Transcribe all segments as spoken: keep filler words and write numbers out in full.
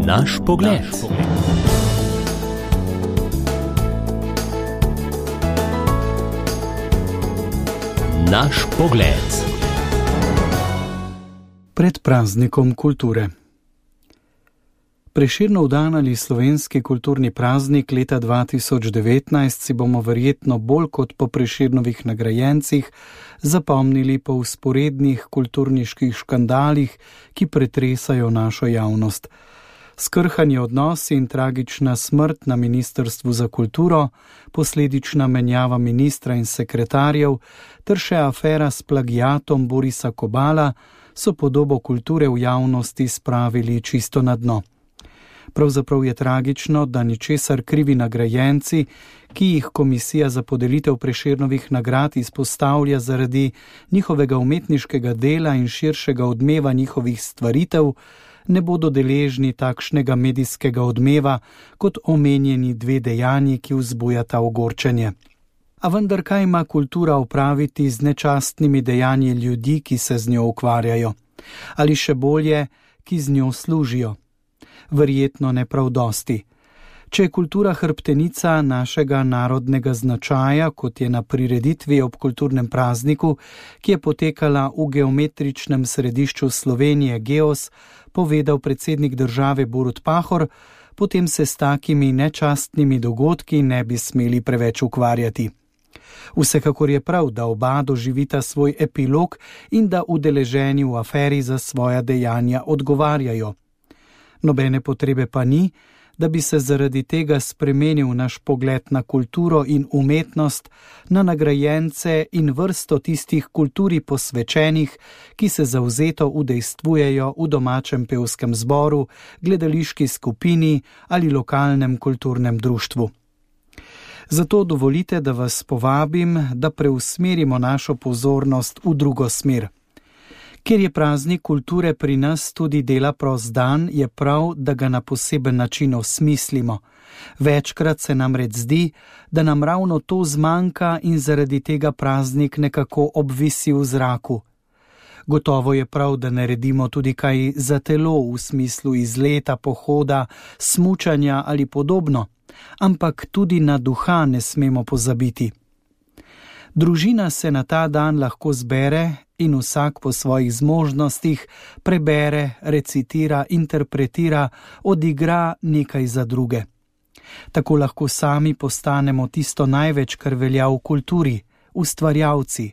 Naš pogled. Naš pogled. Pred praznikom kulture. Prešernov dan ali slovenski kulturni praznik leta dva tisoč devetnajst si bomo verjetno bolj kot po Prešernovih nagrajencih zapomnili po vzporednih kulturniških škandalih, ki pretresajo našo javnost. Skrhani odnosi in tragična smrt na Ministrstvu za kulturo, posledična menjava ministra in sekretarjev ter še afera s plagiatom Borisa Kobala so podobo kulture v javnosti spravili čisto na dno. Pravzaprav je tragično, da ničesar krivi nagrajenci, ki jih Komisija za podelitev Prešernovih nagrad izpostavlja zaradi njihovega umetniškega dela in širšega odmeva njihovih stvaritev, ne bodo deležni takšnega medijskega odmeva kot omenjeni dve dejanji, ki vzbujata ogorčenje. A vendar kaj ima kultura opraviti z nečastnimi dejanji ljudi, ki se z njo ukvarjajo? Ali še bolje, ki z njo služijo? Verjetno ne prav dosti. Če je kultura hrbtenica našega narodnega značaja, kot je na prireditvi ob kulturnem prazniku, ki je potekala v geometričnem središču Slovenije Geos, povedal predsednik države Borut Pahor, potem se s takimi nečastnimi dogodki ne bi smeli preveč ukvarjati. Vsekakor je prav, da oba doživita svoj epilog in da udeleženi v aferi za svoja dejanja odgovarjajo. Nobene potrebe pa ni, da bi se zaradi tega spremenil naš pogled na kulturo in umetnost, na nagrajence in vrsto tistih kulturi posvečenih, ki se zavzeto udejstvujejo v domačem pevskem zboru, gledališki skupini ali lokalnem kulturnem društvu. Zato dovolite, da vas povabim, da preusmerimo našo pozornost v drugo smer. Ker je praznik kulture pri nas tudi dela prost dan, je prav, da ga na poseben način osmislimo. Večkrat se namreč zdi, da nam ravno to zmanjka in zaradi tega praznik nekako obvisi v zraku. Gotovo je prav, da naredimo tudi kaj za telo v smislu izleta, pohoda, smučanja ali podobno, ampak tudi na duha ne smemo pozabiti. Družina se na ta dan lahko zbere in vsak po svojih zmožnostih prebere, recitira, interpretira, odigra nekaj za druge. Tako lahko sami postanemo tisto največ, kar velja v kulturi, ustvarjalci,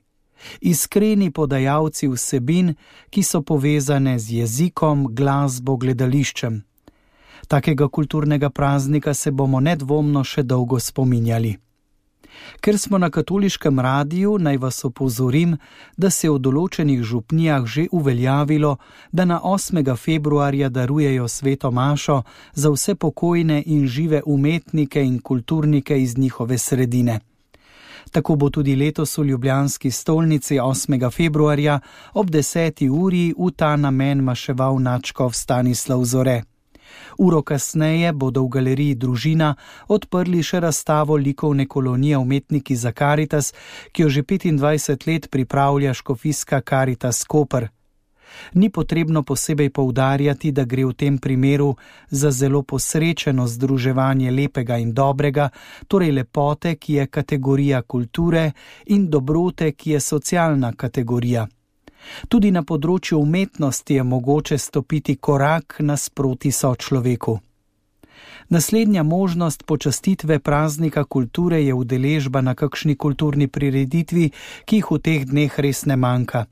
iskreni podajalci vsebin, ki so povezane z jezikom, glasbo, gledališčem. Takega kulturnega praznika se bomo nedvomno še dolgo spominjali. Ker smo na katoliškem radiju, naj vas opozorim, da se je v določenih župnijah že uveljavilo, da na osmega februarja darujejo sveto mašo za vse pokojne in žive umetnike in kulturnike iz njihove sredine. Tako bo tudi letos v ljubljanski stolnici osmega februarja ob deseti uri v ta namen maševal nadškof Stanislav Zore. Uro kasneje bodo v galeriji Družina odprli še razstavo likovne kolonije Umetniki za Karitas, ki jo že petindvajset let pripravlja škofijska Karitas Koper. Ni potrebno posebej poudarjati, da gre v tem primeru za zelo posrečeno združevanje lepega in dobrega, torej lepote, ki je kategorija kulture, in dobrote, ki je socialna kategorija. Tudi na področju umetnosti je mogoče stopiti korak nasproti sočloveku. Naslednja možnost počastitve praznika kulture je udeležba na kakšni kulturni prireditvi, ki jih v teh dneh res ne manjka.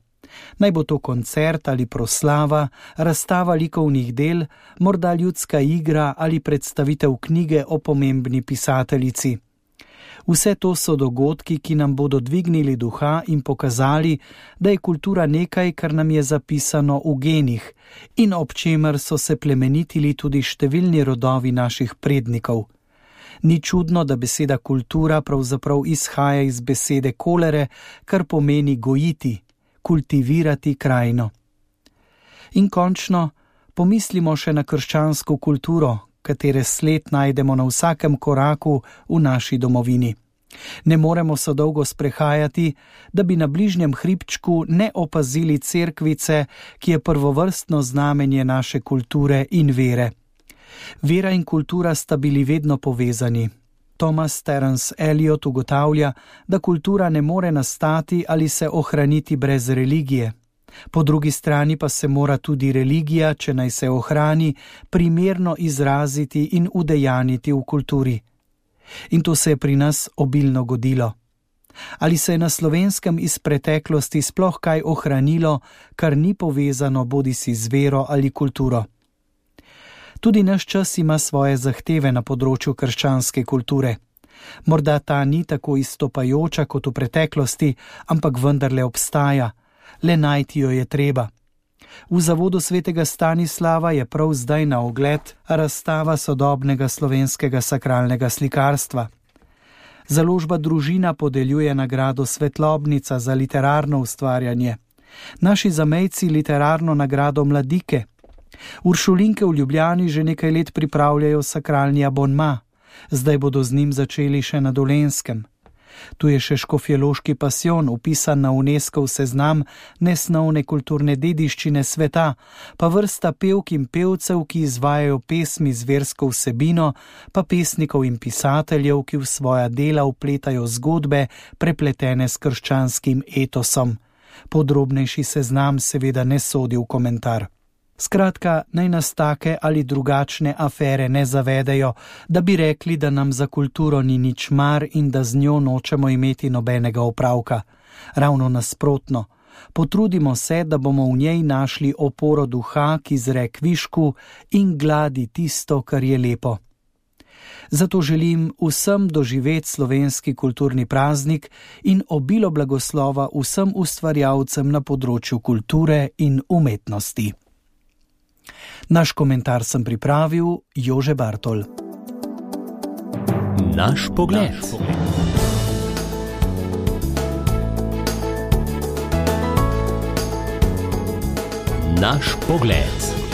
Naj bo to koncert ali proslava, razstava likovnih del, morda ljudska igra ali predstavitev knjige o pomembni pisateljici. Vse to so dogodki, ki nam bodo dvignili duha in pokazali, da je kultura nekaj, kar nam je zapisano v genih in ob čemer so se plemenitili tudi številni rodovi naših prednikov. Ni čudno, da beseda kultura pravzaprav izhaja iz besede kolere, kar pomeni gojiti, kultivirati krajino. In končno, pomislimo še na krščansko kulturo, katere sled najdemo na vsakem koraku v naši domovini. Ne moremo se dolgo sprehajati, da bi na bližnjem hribčku ne opazili cerkvice, ki je prvovrstno znamenje naše kulture in vere. Vera in kultura sta bili vedno povezani. Thomas Terence Eliot ugotavlja, da kultura ne more nastati ali se ohraniti brez religije. Po drugi strani pa se mora tudi religija, če naj se ohrani, primerno izraziti in udejaniti v kulturi. In to se je pri nas obilno godilo. Ali se je na Slovenskem iz preteklosti sploh kaj ohranilo, kar ni povezano bodisi z vero ali kulturo? Tudi naš čas ima svoje zahteve na področju krščanske kulture. Morda ta ni tako izstopajoča kot v preteklosti, ampak vendarle obstaja. Le najti jo je treba. V Zavodu svetega Stanislava je prav zdaj na ogled razstava sodobnega slovenskega sakralnega slikarstva. Založba Družina podeljuje nagrado Svetlobnica za literarno ustvarjanje. Naši zamejci literarno nagrado Mladike. Uršulinke v Ljubljani že nekaj let pripravljajo sakralni abonma. Zdaj bodo z njim začeli še na Dolenjskem. Tu je še škofjeloški pasijon, upisan na UNESCOV seznam nesnovne kulturne dediščine sveta, pa vrsta pevk in pevcev, ki izvajajo pesmi z versko vsebino, pa pesnikov in pisateljev, ki v svoja dela vpletajo zgodbe, prepletene s krščanskim etosom. Podrobnejši seznam seveda ne sodi v komentar. Skratka, naj nas take ali drugačne afere ne zavedejo, da bi rekli, da nam za kulturo ni nič mar in da z njo nočemo imeti nobenega opravka. Ravno nasprotno. Potrudimo se, da bomo v njej našli oporo duha, ki zre kvišku in gladi tisto, kar je lepo. Zato želim vsem doživeti slovenski kulturni praznik in obilo blagoslova vsem ustvarjalcem na področju kulture in umetnosti. Naš komentar sem pripravil Jože Bartol. Naš pogled. Naš pogled.